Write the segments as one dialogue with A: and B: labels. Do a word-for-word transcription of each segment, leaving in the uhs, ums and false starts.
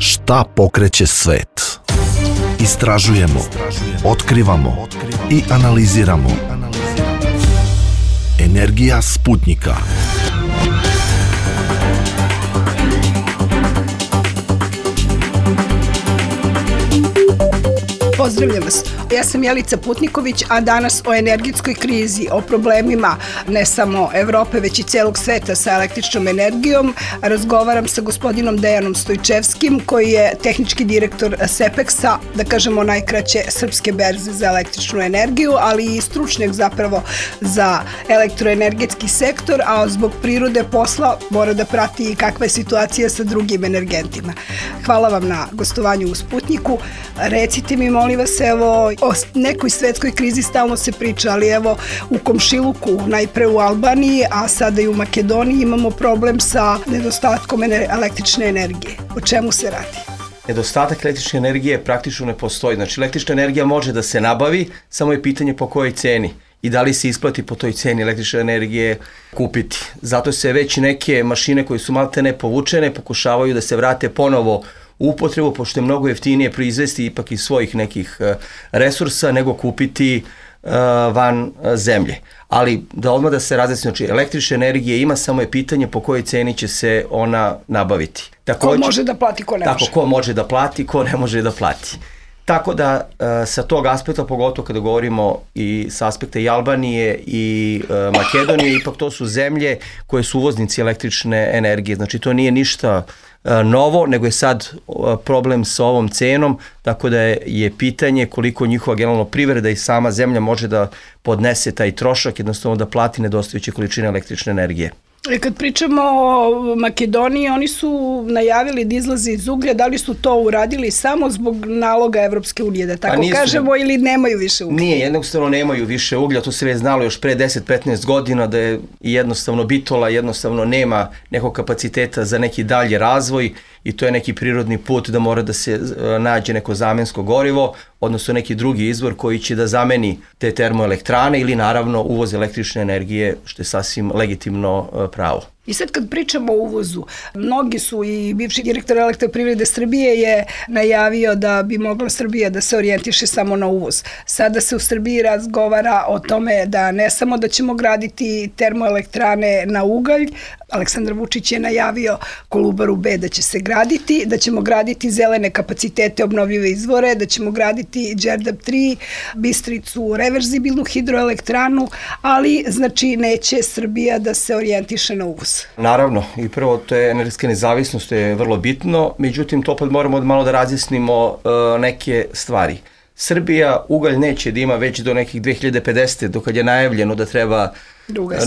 A: Šta pokreće svet? Istražujemo, otkrivamo i analiziramo. Energija Sputnjika.
B: Pozdravljam vas. Ja sam Jelica Putniković, a danas o energetskoj krizi, o problemima ne samo Evrope, već i celog sveta sa električnom energijom. Razgovaram sa gospodinom Dejanom Stojčevskim, koji je tehnički direktor Sepeksa, da kažemo najkraće srpske berze za električnu energiju, ali i stručnjak zapravo za elektroenergetski sektor, a zbog prirode posla mora da prati i kakva je situacija sa drugim energentima. Hvala vam na gostovanju u Sputnjiku. Recite mi, molim vas, evo, o nekoj svetskoj krizi stalno se priča, ali evo u komšiluku, najpre u Albaniji, a sada i u Makedoniji imamo problem sa nedostatkom električne energije. O čemu se radi?
C: Nedostatak električne energije praktično ne postoji. Znači, električna energija može da se nabavi, samo je pitanje po kojoj ceni i da li se isplati po toj ceni električne energije kupiti. Zato se već neke mašine koje su maltene povučene pokušavaju da se vrate ponovo u upotrebu, pošto je mnogo jeftinije proizvesti ipak iz svojih nekih resursa nego kupiti uh, van zemlje. Ali da odmah da se razjasni, znači električne energije ima, samo je pitanje po kojoj ceni će se ona nabaviti.
B: Takođe, ko može da plati, ko ne
C: tako,
B: može.
C: Ko može da plati, ko ne može da plati. Tako da uh, sa tog aspekta, pogotovo kada govorimo i sa aspekta i Albanije i uh, Makedonije, ipak to su zemlje koje su uvoznici električne energije. Znači to nije ništa uh, novo, nego je sad uh, problem sa ovom cenom, tako da je, je pitanje koliko njihova generalno privreda i sama zemlja može da podnese taj trošak, jednostavno da plati nedostajuće količine električne energije.
B: Kad pričamo o Makedoniji, oni su najavili da izlaze iz uglja, da li su to uradili samo zbog naloga Evropske unije, da tako nisu, kažemo, ili nemaju više uglja?
C: Nije, jednostavno nemaju više uglja, to se već znalo još pre deset do petnaest godina, da je jednostavno Bitola jednostavno nema nekog kapaciteta za neki dalji razvoj i to je neki prirodni put da mora da se nađe neko zamensko gorivo, odnosno neki drugi izvor koji će da zameni te termoelektrane ili naravno uvoz električne energije, što je sasvim legitimno pravo.
B: I sad kad pričamo o uvozu, mnogi su, i bivši direktor Elektroprivrede Srbije je najavio da bi mogla Srbija da se orijentiše samo na uvoz. Sada se u Srbiji razgovara o tome da ne samo da ćemo graditi termoelektrane na ugalj, Aleksandar Vučić je najavio Kolubaru B da će se graditi, da ćemo graditi zelene kapacitete, obnovljive izvore, da ćemo graditi Đerdap tri, Bistricu, reverzibilnu hidroelektranu, ali znači neće Srbija da se orijentiše na uvoz.
C: Naravno, i prvo to je energetska nezavisnost, to je vrlo bitno, međutim to opet moramo malo da razjasnimo uh, neke stvari. Srbija ugalj neće da ima već do nekih dve hiljade pedesete, dok je najavljeno da treba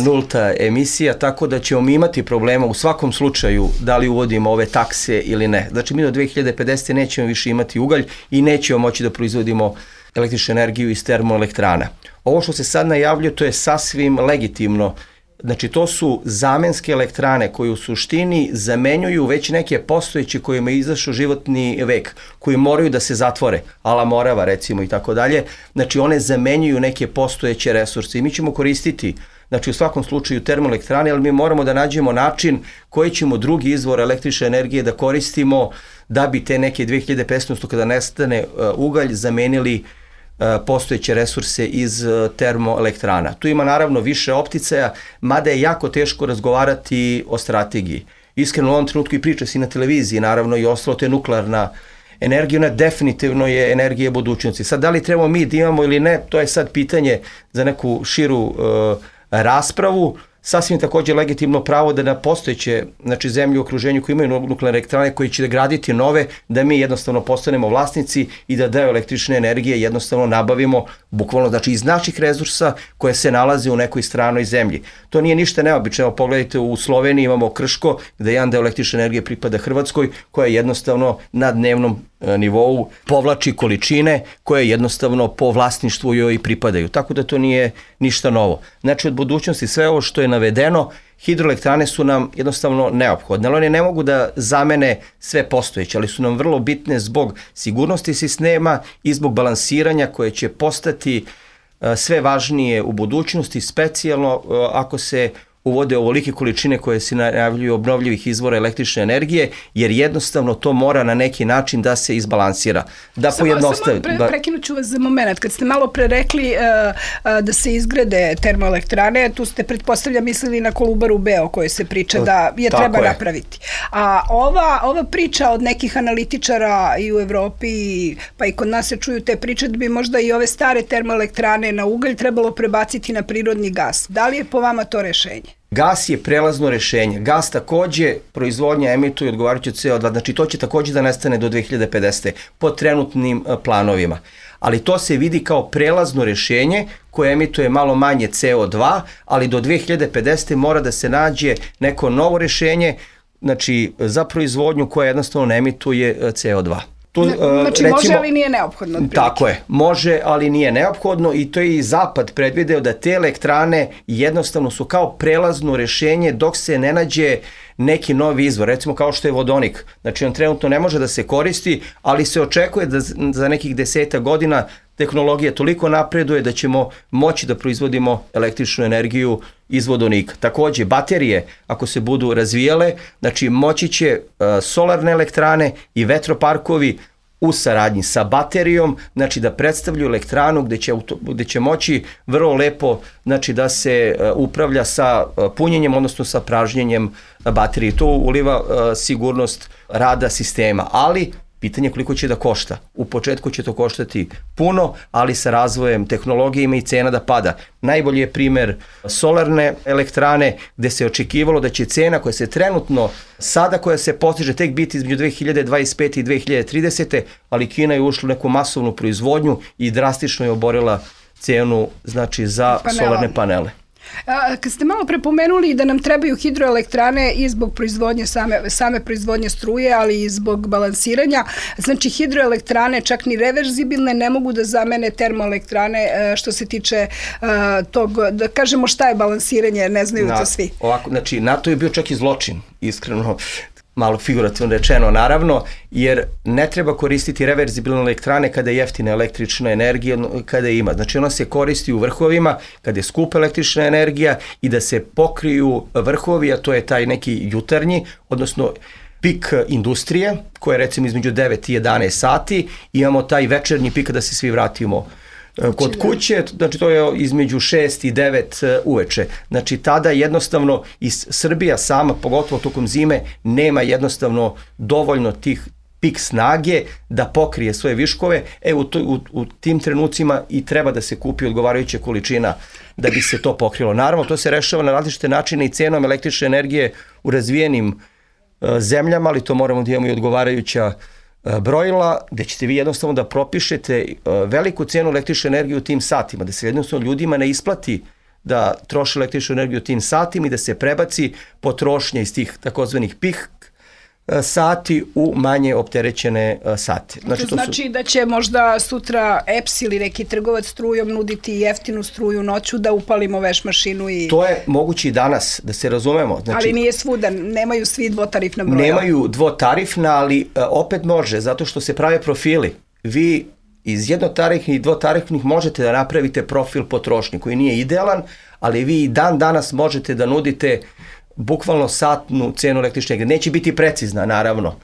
C: nulta emisija, tako da ćemo mi imati problema u svakom slučaju da li uvodimo ove takse ili ne. Znači mi do dve hiljade pedesete nećemo više imati ugalj i nećemo moći da proizvodimo električnu energiju iz termoelektrana. Ovo što se sad najavljuje, to je sasvim legitimno. Znači to su zamenske elektrane koje u suštini zamenjuju već neke postojeće kojima je izašao životni vek, koji moraju da se zatvore, ala Morava recimo i tako dalje. Znači one zamenjuju neke postojeće resurse i mi ćemo koristiti, znači u svakom slučaju termoelektrane, ali mi moramo da nađemo način koji ćemo drugi izvor električne energije da koristimo da bi te neke dve hiljade petnaeste kada nestane ugalj zamenili postojeće resurse iz termoelektrana. Tu ima naravno više opticaja, mada je jako teško razgovarati o strategiji. Iskreno u ovom trenutku i priča se i na televiziji, naravno i ostalo, to je nuklearna energija, ona definitivno je energija budućnosti. Sad, da li trebamo mi da imamo ili ne, to je sad pitanje za neku širu uh, raspravu. Sasvim takođe legitimno pravo da na postojeće, znači zemlje u okruženju koji imaju nuklearne elektrane koji će da graditi nove, da mi jednostavno postanemo vlasnici i da deo električne energije jednostavno nabavimo bukvalno, znači iz naših resursa koje se nalaze u nekoj stranoj zemlji. To nije ništa neobično. Evo pogledajte, u Sloveniji imamo Krško gde jedan deo električne energije pripada Hrvatskoj, koja jednostavno na dnevnom nivou povlači količine koje jednostavno po vlasništvu joj pripadaju. Tako da to nije ništa novo. Znači od budućnosti sve ovo što je navedeno, hidroelektrane su nam jednostavno neophodne, ali one ne mogu da zamene sve postojeće, ali su nam vrlo bitne zbog sigurnosti sistema i zbog balansiranja koje će postati sve važnije u budućnosti, specijalno ako se uvode ovolike količine koje se najavljuju obnovljivih izvora električne energije, jer jednostavno to mora na neki način da se izbalansira. Da
B: samo, samo pre, prekinut ću vas za moment. Kad ste malo pre rekli uh, uh, da se izgrade termoelektrane, tu ste pretpostavlja mislili na Kolubaru B o kojoj se priča da je
C: Tako
B: treba
C: je.
B: napraviti. A ova, ova priča od nekih analitičara i u Evropi, pa i kod nas se čuju te priče da bi možda i ove stare termoelektrane na ugalj trebalo prebaciti na prirodni gas. Da li je po vama to rešenje?
C: Gas je prelazno rešenje. Gas takođe proizvodnja emituje odgovarajuće C O dva, znači to će takođe da nestane do dve hiljade pedesete po trenutnim planovima. Ali to se vidi kao prelazno rešenje koje emituje malo manje C O dva, ali do dve hiljade pedesete mora da se nađe neko novo rešenje, znači za proizvodnju koja jednostavno ne emituje C O dva.
B: Tu, znači recimo, može, ali nije neophodno. Otprilike.
C: Tako je, može, ali nije neophodno i to je i Zapad predvideo da te elektrane jednostavno su kao prelazno rešenje dok se ne nađe neki novi izvor, recimo kao što je vodonik. Znači on trenutno ne može da se koristi, ali se očekuje da za nekih deseta godina tehnologija toliko napreduje da ćemo moći da proizvodimo električnu energiju iz vodonika. Takođe, baterije, ako se budu razvijale, znači moći će uh, solarne elektrane i vetroparkovi u saradnji sa baterijom, znači da predstavljaju elektranu gde će, gde će moći vrlo lepo znači da se uh, upravlja sa uh, punjenjem, odnosno sa pražnjenjem baterije. To uliva uh, sigurnost rada sistema, ali pitanje koliko će da košta. U početku će to koštati puno, ali sa razvojem tehnologije ima i cena da pada. Najbolji je primer solarne elektrane gde se očekivalo da će cena koja se trenutno, sada koja se postiže tek biti između dve hiljade dvadeset pete i dve hiljade tridesete, ali Kina je ušla u neku masovnu proizvodnju i drastično je oborila cenu znači za Panela. solarne panele.
B: A, kad ste malo prepomenuli da nam trebaju hidroelektrane i zbog proizvodnje same, same proizvodnje struje, ali i zbog balansiranja, znači hidroelektrane čak ni reverzibilne ne mogu da zamene termoelektrane što se tiče a, tog, da kažemo šta je balansiranje, ne znaju
C: Na,
B: to svi.
C: Ovako, znači NATO je bio čak i zločin, iskreno, malo figurativno rečeno naravno, jer ne treba koristiti reverzibilne elektrane kada je jeftina električna energija, kada je ima. Znači ona se koristi u vrhovima kada je skupa električna energija i da se pokriju vrhovi, a to je taj neki jutarnji, odnosno pik industrije, koja je recimo između devet i jedanaest sati, i imamo taj večernji pik kada se svi vratimo kod kuće, znači to je između šest i devet uveče. Znači tada jednostavno i Srbija sama, pogotovo tokom zime, nema jednostavno dovoljno tih pik snage da pokrije svoje viškove. E u, to, u, u tim trenucima i treba da se kupi odgovarajuća količina da bi se to pokrilo. Naravno, to se rešava na različite načine i cenom električne energije u razvijenim uh, zemljama, ali to moramo da imamo i odgovarajuća brojila, gde ćete vi jednostavno da propišete veliku cenu električne energije u tim satima, da se jednostavno ljudima ne isplati da troše električnu energiju u tim satima i da se prebaci potrošnja iz tih takozvanih pik sati u manje opterećene sate.
B: Znači, to znači su... da će možda sutra E P S ili neki trgovac strujom nuditi jeftinu struju noću da upalimo veš mašinu i...
C: To je moguće i danas, da se razumemo. Znači,
B: ali nije svuda, nemaju svi dvotarifna broja.
C: Nemaju dvotarifna, ali opet može, zato što se prave profili. Vi iz jednotarifnih i dvotarifnih možete da napravite profil potrošnje koji nije idealan, ali vi i dan danas možete da nudite bukvalno satnu cenu električne energije. Neće biti precizna, naravno,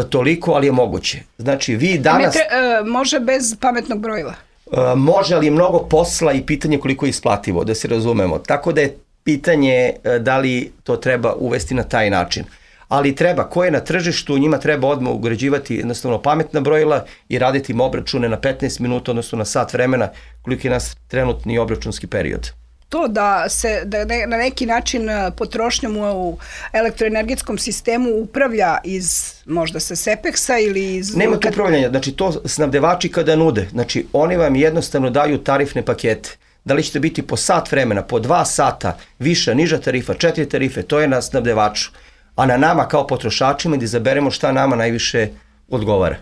C: toliko, ali je moguće. Znači, vi danas...
B: Ne, tre, uh, može bez pametnog brojila?
C: Uh, može, ali je mnogo posla i pitanje koliko je isplativo, da se razumemo. Tako da je pitanje uh, da li to treba uvesti na taj način. Ali treba, ko je na tržištu, njima treba odmah ugrađivati jednostavno pametna brojila i raditi im obračune na petnaest minuta, odnosno na sat vremena, koliko je nas trenutni obračunski period.
B: To da se da ne, na neki način potrošnjom u elektroenergetskom sistemu upravlja iz možda sa Sepeksa ili iz...
C: Nema tu upravljanja, znači to snabdevači kada nude, znači oni vam jednostavno daju tarifne pakete. Da li ćete biti po sat vremena, po dva sata, viša, niža tarifa, četiri tarife, to je na snabdevaču. A na nama kao potrošačima da izaberemo šta nama najviše odgovara.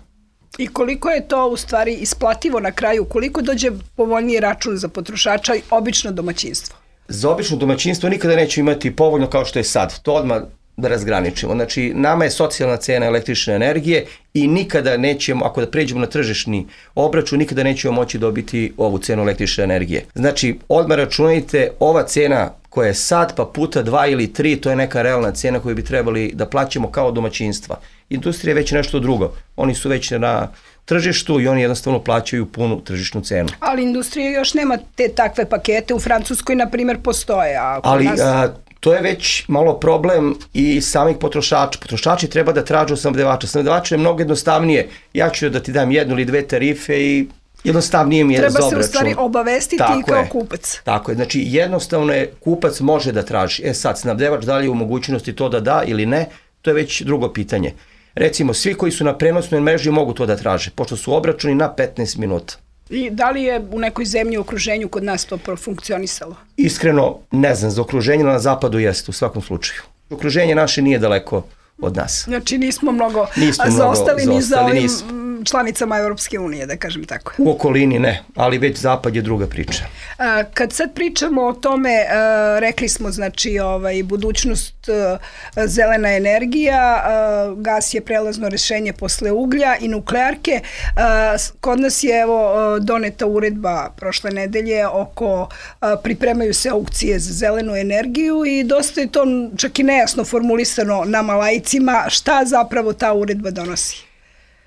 B: I koliko je to u stvari isplativo na kraju, koliko dođe povoljniji račun za potrošača i obično domaćinstvo?
C: Za obično domaćinstvo nikada neće imati povoljno kao što je sad. To odmah da razgraničimo. Znači, nama je socijalna cena električne energije i nikada nećemo, ako da pređemo na tržišni obračun, nikada nećemo moći dobiti ovu cenu električne energije. Znači, odmah računajte, ova cena koja je sad, pa puta dva ili tri, to je neka realna cena koju bi trebali da plaćamo kao domaćinstva. Industrija je već nešto drugo. Oni su već na tržištu i oni jednostavno plaćaju punu tržišnu cenu.
B: Ali industrija još nema te takve pakete. U Francuskoj, na primjer, postoje. A
C: Ali
B: nas...
C: a, to je već malo problem i samih potrošača. Potrošači treba da tražu snabdevača. Snabdevač je mnogo jednostavnije. Ja ću da ti dam jednu ili dve tarife i jednostavnije mi je za obračun.
B: Treba se u stvari obavestiti
C: Tako
B: i kao
C: je.
B: kupac.
C: Tako je. Znači, jednostavno je, kupac može da traži. E sad, snabdevač da li je u mogućnosti to da da ili ne, to je već drugo pitanje. Recimo, svi koji su na prenosnoj mreži mogu to da traže, pošto su obračuni na petnaest minuta.
B: I da li je u nekoj zemlji u okruženju kod nas to profunkcionisalo?
C: Iskreno, ne znam, za okruženje na zapadu jeste u svakom slučaju. Okruženje naše nije daleko od nas.
B: Znači nismo mnogo
C: Nismo
B: zaostali
C: mnogo
B: ni za
C: zaostali,
B: ovim
C: nismo.
B: članicama Europske unije, da kažem tako.
C: U okolini ne, ali već zapad je druga priča.
B: A, kad sad pričamo o tome, a, rekli smo, znači, ovaj, budućnost, a, zelena energija, a, gas je prelazno rešenje posle uglja i nuklearke. A, kod nas je, evo, doneta uredba prošle nedelje oko, a, pripremaju se aukcije za zelenu energiju i dosta je to čak i nejasno formulisano nama laicima šta zapravo ta uredba donosi.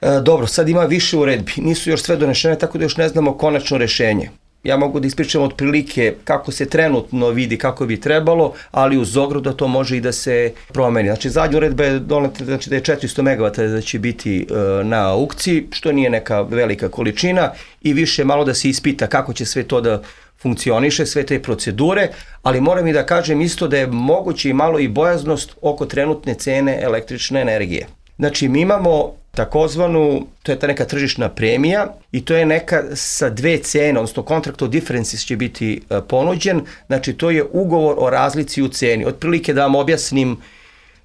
C: E, dobro, sad ima više uredbi, nisu još sve donešene, tako da još ne znamo konačno rešenje. Ja mogu da ispričam otprilike kako se trenutno vidi kako bi trebalo, ali uz ogradu da to može i da se promeni. Znači, zadnja uredba je doneta, znači da je četiristo megavata da će biti e, na aukciji, što nije neka velika količina i više malo da se ispita kako će sve to da funkcioniše, sve te procedure, ali moram i da kažem isto da je moguće i malo i bojaznost oko trenutne cene električne energije. Znači, mi imamo takozvanu, to je ta neka tržišna premija i to je neka sa dve cene, odnosno contract of differences će biti uh, ponuđen, znači to je ugovor o razlici u ceni. Otprilike da vam objasnim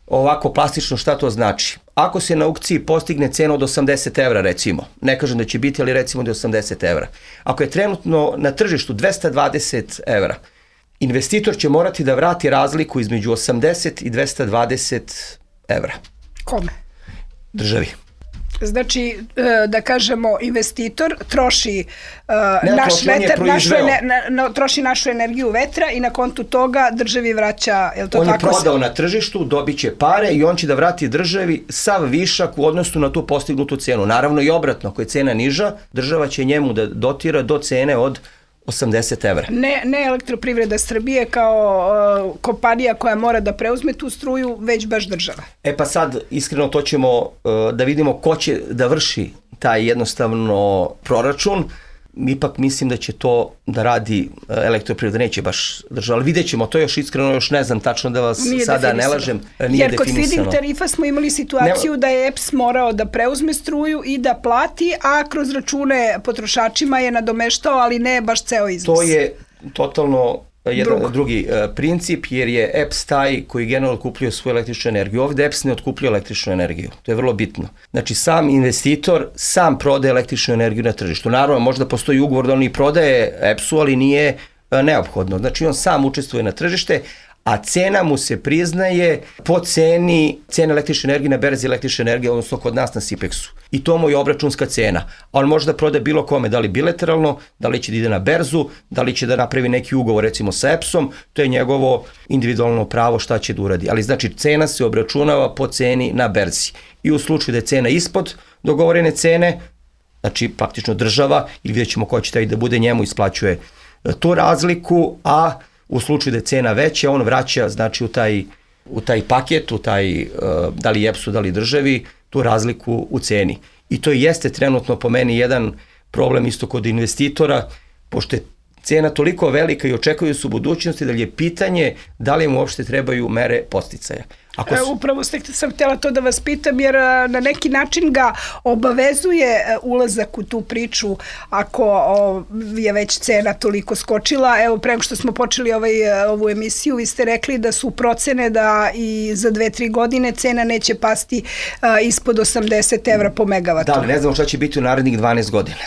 C: ovako plastično šta to znači. Ako se na aukciji postigne cena od osamdeset evra, recimo, ne kažem da će biti, ali recimo da je osamdeset evra. Ako je trenutno na tržištu dvesta dvadeset evra, investitor će morati da vrati razliku između osamdeset i dvesta dvadeset evra.
B: Kome?
C: Državi.
B: Znači, da kažemo, investitor troši
C: ne,
B: naš
C: troši,
B: vetar, našu, ne, na, troši našu energiju vetra i na kontu toga državi vraća, je li to
C: on
B: tako?
C: On je prodao se... na tržištu, dobit će pare i on će da vrati državi sav višak u odnosu na tu postignutu cenu. Naravno i obratno, ako je cena niža, država će njemu da dotira do cene od osamdeset evra.
B: Ne, ne Elektroprivreda Srbije kao uh, kompanija koja mora da preuzme tu struju, već baš država.
C: E pa sad, iskreno, to ćemo uh, da vidimo ko će da vrši taj jednostavno proračun. Ipak mislim da će to da radi uh, Elektroprivreda, neće baš država, ali vidjet ćemo, to još iskreno još ne znam tačno da vas
B: nije
C: sada ne lažem.
B: Nije Jer kod feed-in tarifa smo imali situaciju ne... da je E P S morao da preuzme struju i da plati, a kroz račune potrošačima je nadomeštao, ali ne baš ceo iznos.
C: To je totalno jedan Drug. drugi uh, princip, jer je E P S taj koji generalno otkupljuje svoju električnu energiju. Ovde E P S ne otkupljuje električnu energiju. To je vrlo bitno. Znači, sam investitor sam prodaje električnu energiju na tržištu. Naravno, možda postoji ugovor da on i prodaje E P S-u, ali nije uh, neophodno. Znači, on sam učestvuje na tržište, a cena mu se priznaje po ceni cene električne energije na berzi električne energije, odnosno kod nas na Sipeksu. I to mu je obračunska cena. A on može da prode bilo kome, da li bilateralno, da li će da ide na berzu, da li će da napravi neki ugovor recimo sa E P S-om, to je njegovo individualno pravo šta će da uradi. Ali znači cena se obračunava po ceni na berzi. I u slučaju da je cena ispod dogovorene cene, znači praktično država, ili vidjet ćemo ko će taj da bude, njemu isplaćuje tu razliku, a u slučaju da je cena veća, on vraća znači u taj, u taj paket, u taj, uh, da li E P S-u, da li državi, tu razliku u ceni. I to jeste trenutno po meni jedan problem isto kod investitora, pošto je cena toliko velika i očekuju su u budućnosti, da li je pitanje da li im uopšte trebaju mere podsticaja.
B: Ako su... Upravo ste, sam htjela to da vas pitam, jer na neki način ga obavezuje ulazak u tu priču ako o, je već cena toliko skočila. Evo, prema što smo počeli ovaj, ovu emisiju, vi ste rekli da su procene da i za dve, tri godine cena neće pasti a, ispod osamdeset evra po megavatu.
C: Da, ne znamo šta će biti u narednih dvanaest godina.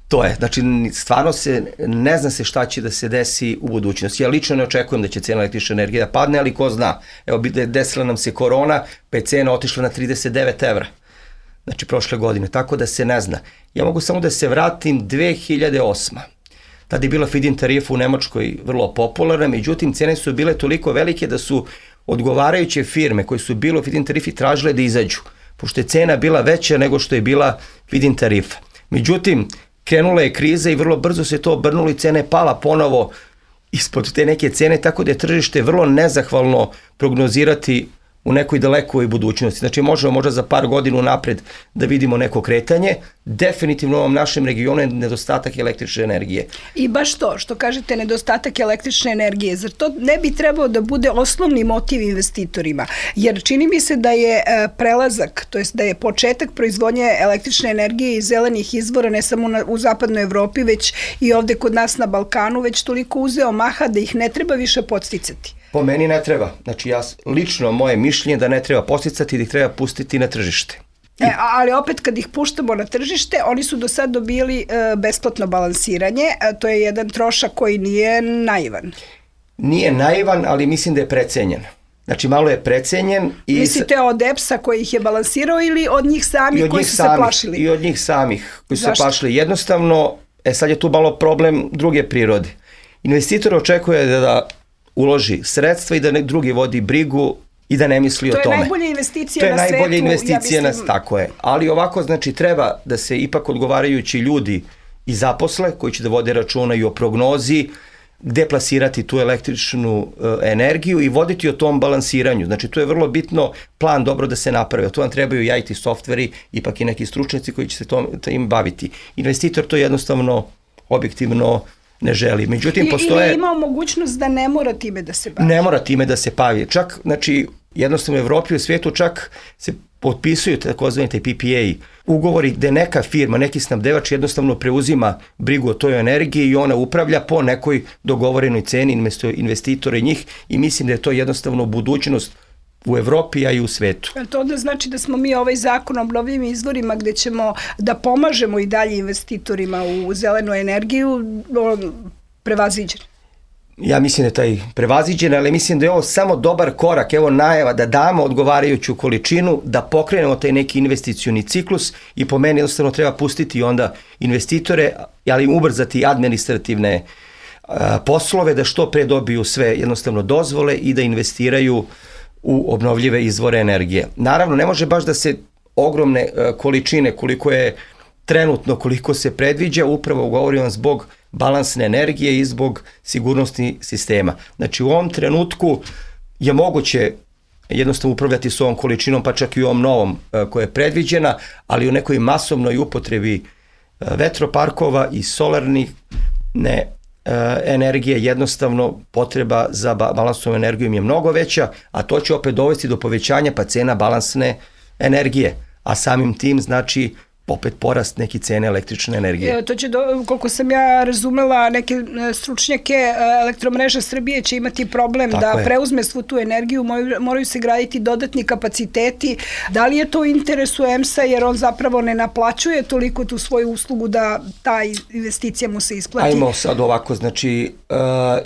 C: To je, znači stvarno se, ne zna se šta će da se desi u budućnosti. Ja lično ne očekujem da će cena električne energije da padne, ali ko zna. Evo, desila nam se korona, pa je cena otišla na trideset devet evra. Znači prošle godine, tako da se ne zna. Ja mogu samo da se vratim dve hiljade osme. Tada je bila feed-in tarifa u Nemačkoj vrlo popularna, međutim cene su bile toliko velike da su odgovarajuće firme koje su bile u feed-in tarifi tražile da izađu, pošto je cena bila veća nego što je bila feed-in tarifa. Međutim, krenula je kriza i vrlo brzo se to obrnulo i cena je pala ponovo ispod te neke cene, tako da je tržište vrlo nezahvalno prognozirati u nekoj dalekoj budućnosti. Znači možemo možda za par godina napred da vidimo neko kretanje. Definitivno u ovom našem regionu je nedostatak električne energije.
B: I baš to, što kažete, nedostatak električne energije, zar to ne bi trebao da bude osnovni motiv investitorima? Jer čini mi se da je prelazak, to jest da je početak proizvodnje električne energije iz zelenih izvora, ne samo na, u zapadnoj Evropi, već i ovde kod nas na Balkanu, već toliko uzeo maha da ih ne treba više podsticati.
C: Po meni ne treba. Znači ja lično moje mišljenje da ne treba podsticati, da ih treba pustiti na tržište.
B: E, ali opet kad ih puštamo na tržište, oni su do sad dobili e, besplatno balansiranje, a to je jedan trošak koji nije naivan.
C: Nije naivan, ali mislim da je precenjen. Znači malo je precenjen. I
B: mislite od E P S-a koji ih je balansirao ili od njih samih koji su
C: samih,
B: se plašili?
C: I od njih samih koji su
B: Zašto?
C: se plašili. Jednostavno, e sad je tu malo problem druge prirode. Investitor očekuje da, da uloži sredstva i da ne, drugi vodi brigu i da ne misli
B: to
C: o tome.
B: To je najbolja investicija
C: to je
B: na svetu.
C: najbolja investicija
B: ja mislim...
C: na, tako je. Ali ovako, znači, treba da se ipak odgovarajući ljudi i zaposle, koji će da vode računa i o prognozi, gde plasirati tu električnu uh, energiju i voditi o tom balansiranju. Znači, tu je vrlo bitno plan dobro da se napravi. Tu vam trebaju i I T softveri, ipak i neki stručnjaci koji će se tom, im baviti. Investitor to jednostavno, objektivno ne želi. Međutim,
B: I,
C: postoje...
B: Ili imao mogućnost da ne mora time da se bavi.
C: Ne mora time da se bavi. Čak, znači, jednostavno u Evropi i u svijetu čak se potpisuju takozvani P P A ugovori gde neka firma, neki snabdevač jednostavno preuzima brigu o toj energiji i ona upravlja po nekoj dogovorenoj ceni investitora i njih i mislim da je to jednostavno budućnost u Evropi, a i u svetu.
B: To onda znači da smo mi ovaj zakon o obnovljivim izvorima gde ćemo da pomažemo i dalje investitorima u zelenu energiju prevaziđen.
C: Ja mislim da je taj prevaziđen, ali mislim da je ovo samo dobar korak, evo najava da damo odgovarajuću količinu, da pokrenemo taj neki investicioni ciklus i po meni jednostavno treba pustiti onda investitore, ali im ubrzati administrativne a, poslove da što pre dobiju sve jednostavno dozvole i da investiraju u obnovljive izvore energije. Naravno, ne može baš da se ogromne a, količine koliko je trenutno, koliko se predviđa, upravo govorim vam zbog balansne energije i zbog sigurnosti sistema. Znači u ovom trenutku je moguće jednostavno upravljati s ovom količinom, pa čak i u ovom novom koja je predviđena, ali u nekoj masovnoj upotrebi vetroparkova i solarnih ne, energije jednostavno potreba za balansnom energijom je mnogo veća, a to će opet dovesti do povećanja pa cena balansne energije, a samim tim znači opet porast neki cene električne energije.
B: E, to će, do, koliko sam ja razumela, neke stručnjake Elektromreža Srbije će imati problem Tako da je. preuzme svu tu energiju, moraju, moraju se graditi dodatni kapaciteti. Da li je to u interesu E M S-a jer on zapravo ne naplaćuje toliko tu svoju uslugu da ta investicija mu se isplati?
C: Ajmo sad ovako, znači uh,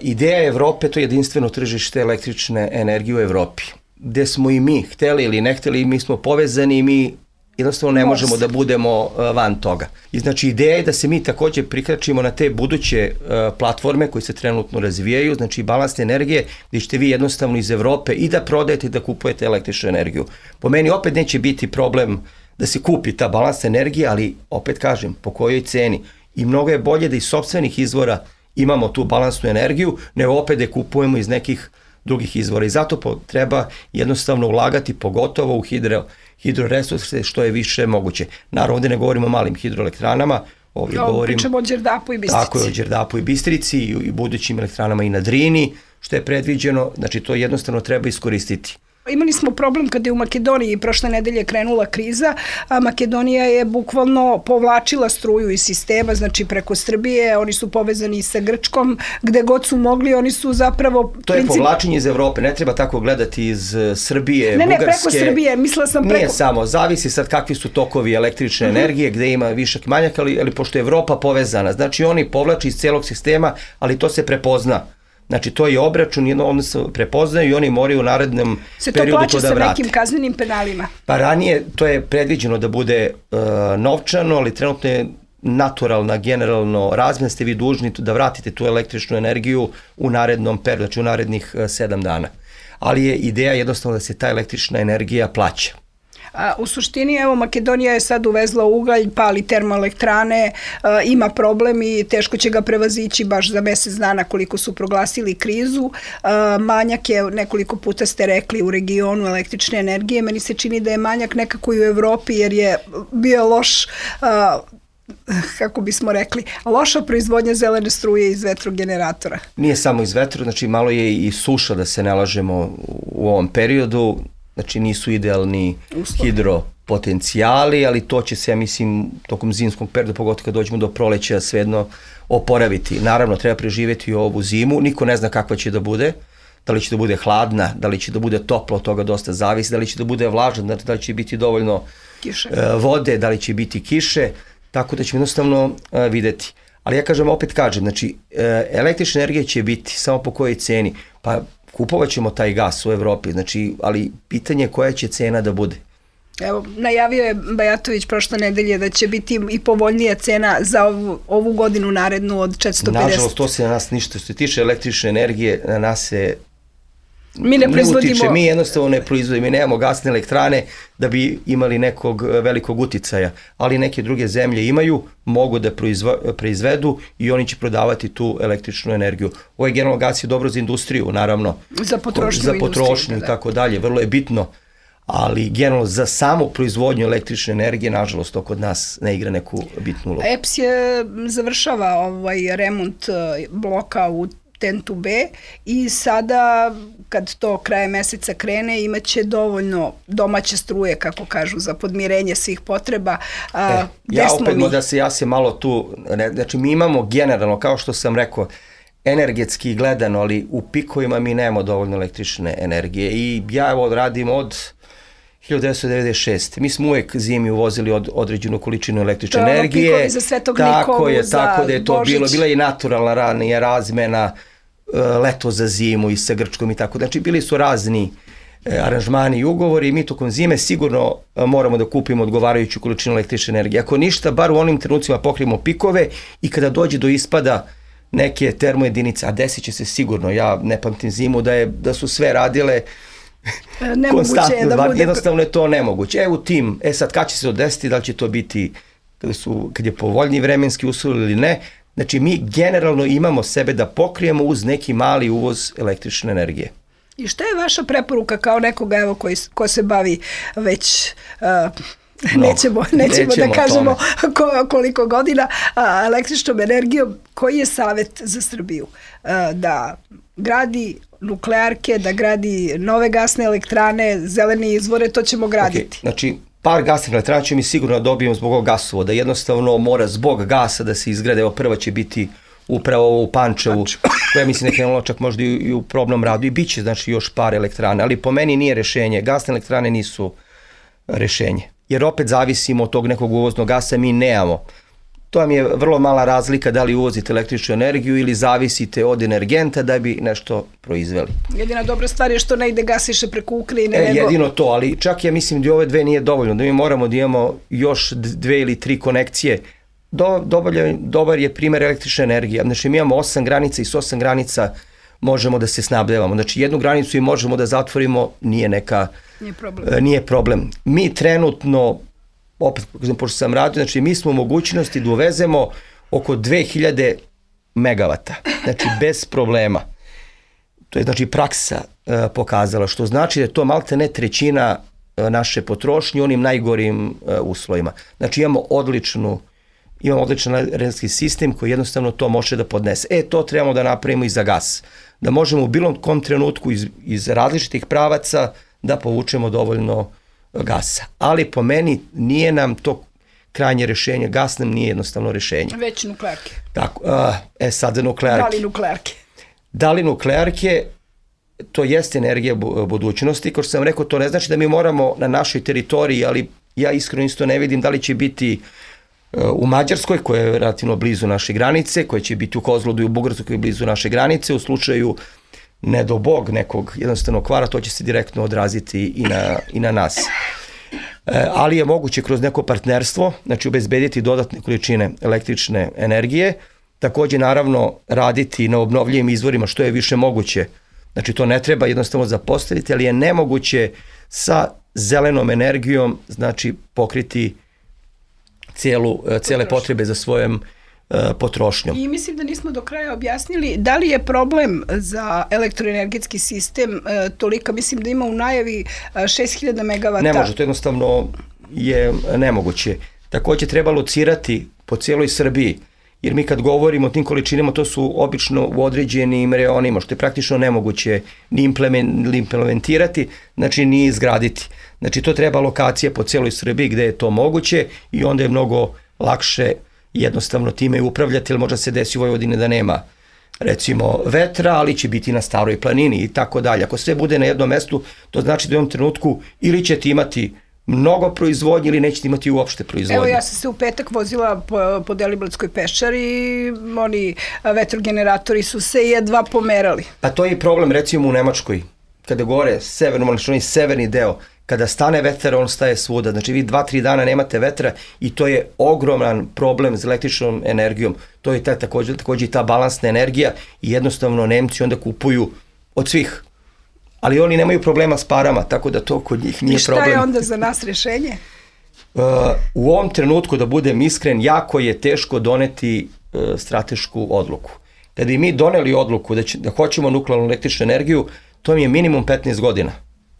C: ideja Evrope to je jedinstveno tržište električne energije u Evropi, gde smo i mi hteli ili ne hteli, mi smo povezani i mi jednostavno ne možemo da budemo van toga. I znači ideja je da se mi takođe prikračimo na te buduće uh, platforme koje se trenutno razvijaju, znači balansne energije, gde ćete vi jednostavno iz Evrope i da prodajete i da kupujete električnu energiju. Po meni opet neće biti problem da se kupi ta balansna energija, ali opet kažem, po kojoj ceni. I mnogo je bolje da iz sopstvenih izvora imamo tu balansnu energiju, nego opet da kupujemo iz nekih drugih izvora. I zato po, treba jednostavno ulagati pogotovo u hidro hidroresurse što je više moguće. Naravno, ovdje ne govorimo o malim hidroelektranama, ovdje
B: no,
C: govorimo...
B: Pričamo o Đerdapu i Bistrici.
C: Tako je, o Đerdapu i Bistrici i, i budućim elektranama i na Drini, što je predviđeno, znači to jednostavno treba iskoristiti.
B: Imali smo problem kada je u Makedoniji prošle nedelje krenula kriza, a Makedonija je bukvalno povlačila struju iz sistema, znači preko Srbije, oni su povezani i sa Grčkom, gde god su mogli, oni su zapravo...
C: To je princip... povlačenje iz Evrope, ne treba tako gledati iz Srbije,
B: ne,
C: Bugarske.
B: Ne, preko Srbije, mislila sam preko...
C: Nije samo, zavisi sad kakvi su tokovi električne uh-huh. energije, gde ima višak i manjak, ali, ali pošto je Evropa povezana, znači oni povlači iz celog sistema, ali to se prepozna. Znači, to je obračun, jedno oni se prepoznaju i oni moraju u narednom periodu to da vrate. Se to plaća
B: sa nekim kaznenim penalima?
C: Pa ranije to je predviđeno da bude uh, novčano, ali trenutno je naturalna, generalno razmjena, ste vi dužni da vratite tu električnu energiju u narednom periodu, znači u narednih uh, sedam dana. Ali je ideja jednostavno da se ta električna energija plaća.
B: A, u suštini, evo, Makedonija je sad uvezla ugalj, pali termoelektrane, a, ima problem i teško će ga prevazići baš za mesec dana koliko su proglasili krizu. A, manjak je, nekoliko puta ste rekli, u regionu električne energije. Meni se čini da je manjak nekako i u Evropi jer je bio loš... A, kako bismo rekli, loša proizvodnja zelene struje iz vetrogeneratora.
C: Nije samo iz vetra, znači malo je i suša, da se ne lažemo u ovom periodu, znači nisu idealni uslovi, hidropotencijali, ali to će se, ja mislim, tokom zimskog perioda, pogotovo kad dođemo do proleća, svejedno oporaviti. Naravno, treba preživjeti ovu zimu, niko ne zna kakva će da bude, da li će da bude hladna, da li će da bude toplo, od toga dosta zavisi, da li će da bude vlažna, da li će biti dovoljno kiše. Vode, da li će biti kiše, tako da ćemo jednostavno uh, videti. Ali ja kažem, opet kažem, znači uh, električna energija će biti samo po kojoj ceni, pa kupovat ćemo taj gas u Evropi, znači, ali pitanje je koja će cena da bude.
B: Evo, najavio je Bajatović prošle nedelje da će biti i povoljnija cena za ovu, ovu godinu narednu od četiristo pedeset.
C: Nažalost, to se na nas ništa, što se tiče električne energije, na nas se
B: Mi ne proizvodimo...
C: utiče, mi jednostavno ne proizvodimo, mi nemamo gasne elektrane da bi imali nekog velikog uticaja, ali neke druge zemlje imaju, mogu da proizvedu i oni će prodavati tu električnu energiju. Ovaj generalno gas je dobro za industriju, naravno.
B: Za potrošnju,
C: za potrošnju i tako dalje, vrlo je bitno, ali generalno za samu proizvodnju električne energije, nažalost, to kod nas ne igra neku bitnu ulogu.
B: E P S je završava ovaj remont bloka u Tentu B i sada kad to kraje meseca krene imaće dovoljno domaće struje, kako kažu, za podmirenje svih potreba. A,
C: e, ja opet mi... da se ja se malo tu, ne, znači mi imamo generalno, kao što sam rekao, energetski gledano, ali u pikovima mi nemamo dovoljno električne energije i ja evo radim od hiljadu devetsto devedeset šeste. Mi smo uvek zimi uvozili od, određenu količinu električne to energije.
B: Pikovi za Svetog
C: tako
B: Nikolu,
C: je,
B: za
C: tako da je to
B: Božić.
C: bilo, bila je i naturalna ranija razmena, leto za zimu i sa Grčkom i tako. Znači bili su razni e, aranžmani i ugovori i mi tokom zime sigurno e, moramo da kupimo odgovarajuću količinu električne energije. Ako ništa, bar u onim trenucima pokrijemo pikove i kada dođe do ispada neke termojedinice, a desit će se sigurno, ja ne pamtim zimu da, je, da su sve radile
B: konstantno, je da bude...
C: jednostavno je to nemoguće. E u tim, e sad kad će se to desiti, da li će to biti kada, su, kad je povoljni vremenski uslov ili ne. Znači, mi generalno imamo sebe da pokrijemo uz neki mali uvoz električne energije.
B: I šta je vaša preporuka kao nekoga, evo, koji, ko se bavi već... Uh, nećemo, nećemo, nećemo da kažemo ko, koliko godina a, električnom energijom, koji je savjet za Srbiju? A, da gradi nuklearke, da gradi nove gasne elektrane, zelene izvore, to ćemo graditi.
C: Okay, znači, par gasnih elektrana će mi sigurno dobijemo zbog ovog gasovoda. Jednostavno mora zbog gasa da se izgrade. Evo prva će biti upravo u Pančevu, koja mislim da je krenula čak možda i u probnom radu. I bit će znači još par elektrane, ali po meni nije rešenje. Gasne elektrane nisu rešenje. Jer opet zavisimo od tog nekog uvoznog gasa, mi nemamo. To vam je vrlo mala razlika da li uvozite električnu energiju ili zavisite od energenta da bi nešto proizveli.
B: Jedina dobra stvar je što ne ide gasiše preko Ukrajine.
C: E,
B: nego...
C: Jedino to, ali čak ja mislim da ove dve nije dovoljno, da mi moramo da imamo još dve ili tri konekcije. Do, dobar, dobar je primjer električne energije. Znači mi imamo osam granica i s osam granica možemo da se snabdevamo. Znači jednu granicu i možemo da zatvorimo, nije neka...
B: Nije problem.
C: Nije problem. Mi trenutno, opet, pošto sam radio, znači mi smo u mogućnosti da uvezemo oko dve hiljade megavata. Znači bez problema. To je znači praksa e, pokazala, što znači da je to malte ne trećina e, naše potrošnje u onim najgorim e, uslovima. Znači imamo odličnu imamo odličan energetski sistem koji jednostavno to može da podnese. E, to trebamo da napravimo i za gas. Da možemo u bilo kom trenutku iz, iz različitih pravaca da povučemo dovoljno gasa. Ali po meni nije nam to krajnje rešenje, gas nam nije jednostavno rešenje.
B: Već nuklearke.
C: Tako, a, e sad za nuklearke.
B: Da li nuklearke?
C: Da li nuklearke, to jeste energija budućnosti, kao što sam rekao, to ne znači da mi moramo na našoj teritoriji, ali ja iskreno isto ne vidim da li će biti u Mađarskoj, koja je relativno blizu naše granice, koja će biti u Kozlodu i u Bugarskoj, koja je blizu naše granice, u slučaju ne do bog nekog jednostavnog kvara, to će se direktno odraziti i na, i na nas. E, ali je moguće kroz neko partnerstvo, znači obezbediti dodatne količine električne energije, takođe naravno raditi na obnovljivim izvorima što je više moguće. Znači to ne treba jednostavno zapostaviti, ali je nemoguće sa zelenom energijom znači pokriti cijelu, cijele potrebe za svojom uh, potrošnjom.
B: I mislim da nismo do kraja objasnili da li je problem za elektroenergetski sistem uh, tolika, mislim da ima u najavi uh, šest hiljada megavata.
C: Ne može, to jednostavno je nemoguće. Takođe treba locirati po cijeloj Srbiji, jer mi kad govorimo o tim količinama, to su obično u određenim reonima, što je praktično nemoguće ni implementirati, znači ni izgraditi. Znači to treba lokacije po cijeloj Srbiji gde je to moguće i onda je mnogo lakše jednostavno time upravljati, jer možda se desi u Vojvodini da nema recimo vetra, ali će biti na Staroj planini i tako dalje. Ako sve bude na jednom mestu, to znači da u jednom trenutku ili ćete imati mnogo proizvodnje ili nećete imati uopšte proizvodnje.
B: Evo ja sam se u petak vozila po, po Deliblatskoj peščari i oni vetrogeneratori su se jedva pomerali.
C: Pa to je problem recimo u Nemačkoj, kada gore severno, znači onaj severni deo, kada stane vetar, on staje svuda. Znači vi dva, tri dana nemate vetra i to je ogroman problem s električnom energijom. To je ta, takođe, takođe i ta balansna energija i jednostavno Nemci onda kupuju od svih. Ali oni nemaju problema s parama, tako da to kod njih nije problem.
B: I šta je onda za nas rešenje?
C: Uh, u ovom trenutku, da budem iskren, jako je teško doneti uh, stratešku odluku. Kada bi mi doneli odluku da, će, da hoćemo nuklearnu električnu energiju, to mi je minimum petnaest godina.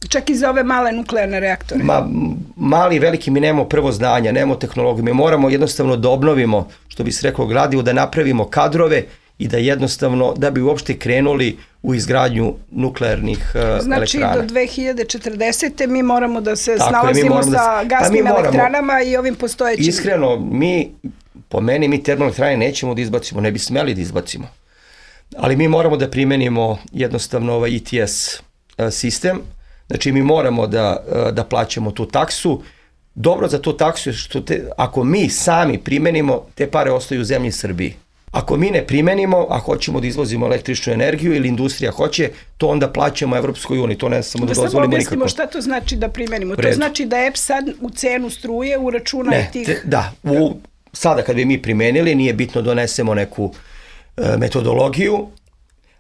B: Čak i za ove male nuklearne reaktore?
C: Ma, mali i veliki mi nemamo prvo znanja, nemamo tehnologiju. Mi moramo jednostavno da obnovimo, što bi se reklo gradivo, da napravimo kadrove i da jednostavno, da bi uopšte krenuli u izgradnju nuklearnih uh,
B: znači,
C: elektrana.
B: Znači do dve hiljade četrdesete mi moramo da se
C: Tako
B: snalazimo
C: je,
B: sa
C: da,
B: gasnim
C: pa
B: elektranama i ovim postojećim.
C: Iskreno, mi, po meni, mi termoelektrane nećemo da izbacimo, ne bi smeli da izbacimo. Ali mi moramo da primenimo jednostavno ovaj E T S uh, sistem. Znači mi moramo da, uh, da plaćamo tu taksu. Dobro za tu taksu je što te, ako mi sami primenimo, te pare ostaju u zemlji Srbiji. Ako mi ne primenimo, a hoćemo da izvozimo električnu energiju ili industrija hoće, to onda plaćamo Evropskoj uniji, to ne samo da, da dozvolimo nikako.
B: Da samo objasnimo šta to znači da primenimo. To znači da E P sad u cenu struje uračuna
C: ne,
B: tih...
C: Te, da, u, sada kad bi mi primenili, nije bitno donesemo neku e, metodologiju.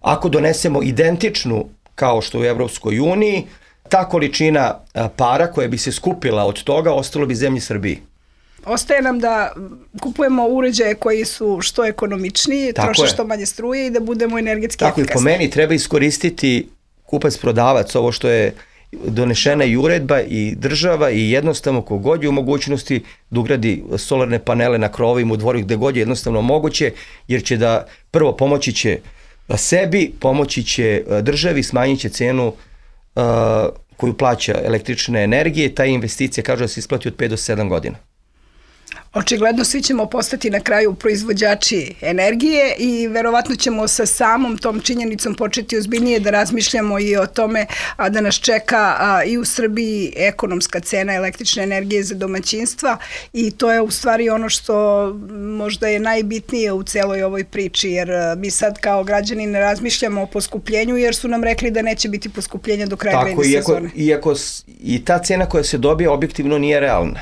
C: Ako donesemo identičnu kao što u Evropskoj uniji, ta količina a, para koja bi se skupila od toga ostalo bi zemlji Srbiji.
B: Ostaje nam da kupujemo uređaje koji su što ekonomičniji, troše što manje struje i da budemo energetski
C: Tako
B: efikasni.
C: Tako i po meni treba iskoristiti kupac-prodavac, ovo što je donešena i uredba i država i jednostavno kogod je u mogućnosti da ugradi solarne panele na krovovima u dvoru gde god je jednostavno moguće, jer će da prvo pomoći će sebi, pomoći će državi, smanjit će cenu uh, koju plaća električne energije, ta investicija kaže da se isplati od pet do sedam godina.
B: Očigledno svi ćemo postati na kraju proizvođači energije i verovatno ćemo sa samom tom činjenicom početi ozbiljnije da razmišljamo i o tome a da nas čeka a, i u Srbiji ekonomska cena električne energije za domaćinstva i to je u stvari ono što možda je najbitnije u celoj ovoj priči, jer mi sad kao građani ne razmišljamo o poskupljenju jer su nam rekli da neće biti poskupljenja do kraja grejne sezone.
C: Tako, iako i ta cena koja se dobija objektivno nije realna.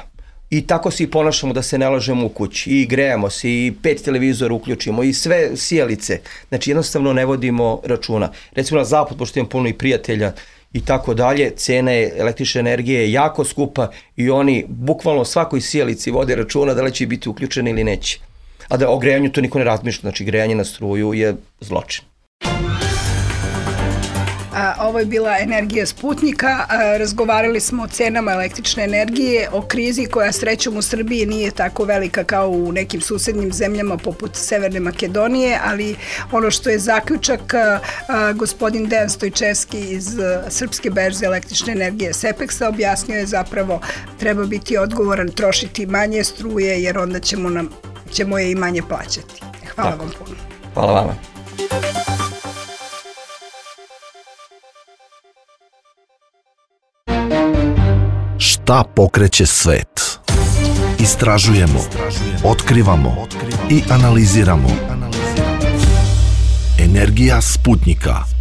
C: I tako se i ponašamo da se ne lažemo u kući i grejamo se i pet televizora uključimo i sve sijalice. Znači jednostavno ne vodimo računa. Recimo na zapad, pošto imam puno i prijatelja i tako dalje, cena električne energije je jako skupa i oni bukvalno svakoj sijalici vode računa da li će biti uključeni ili neće. A da o grejanju to niko ne razmišlja, znači grejanje na struju je zločin.
B: A, ovo je bila Energija Sputnika. A, razgovarali smo o cenama električne energije, o krizi koja srećom u Srbiji nije tako velika kao u nekim susednim zemljama poput Severne Makedonije, ali ono što je zaključak, a, a, gospodin Dejan Stojčevski iz a, Srpske berze električne energije Sepeksa objasnio je zapravo treba biti odgovoran, trošiti manje struje jer onda ćemo, nam, ćemo je i manje plaćati. Hvala tako vam puno.
C: Hvala vama.
A: Šta pokreće svet? Istražujemo, otkrivamo i analiziramo. Energija Sputnika.